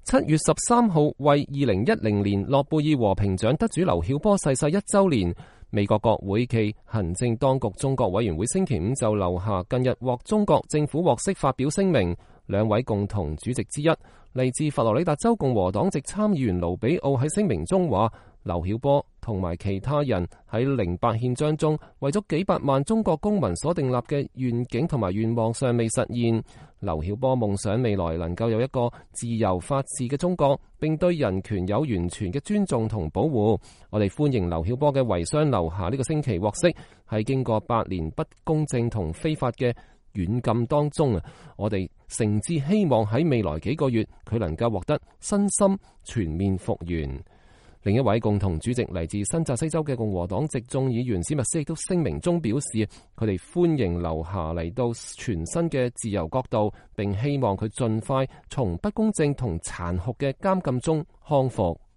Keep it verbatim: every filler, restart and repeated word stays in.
七月十三號為二零一零年諾貝爾和平獎得主劉曉波逝世一週年，美國國會暨行政當局中國委員會星期五就劉霞近日獲中國政府獲釋發表聲明。兩位共同主席之一，嚟自佛羅里達州共和黨籍參議員盧比奧喺聲明中話，劉曉波同埋其他人喺零八憲章中為咗幾百萬中國公民所訂立嘅願景同埋願望尚未實現。劉曉波夢想未來能夠有一個自由法治嘅中國，並對人權有完全嘅尊重同保護。我哋歡迎劉曉波嘅遺孀劉霞呢個星期獲釋，喺經過八年不公正同非法嘅軟禁當中啊，我哋誠摯希望喺未來幾個月佢能夠獲得身心全面復原。另一位共同主席嚟自新澤西州嘅共和黨籍眾議員史密斯亦都聲明中表示，佢哋歡迎劉霞嚟到全新嘅自由國度，並希望佢盡快從不公正同殘酷嘅監禁中康復。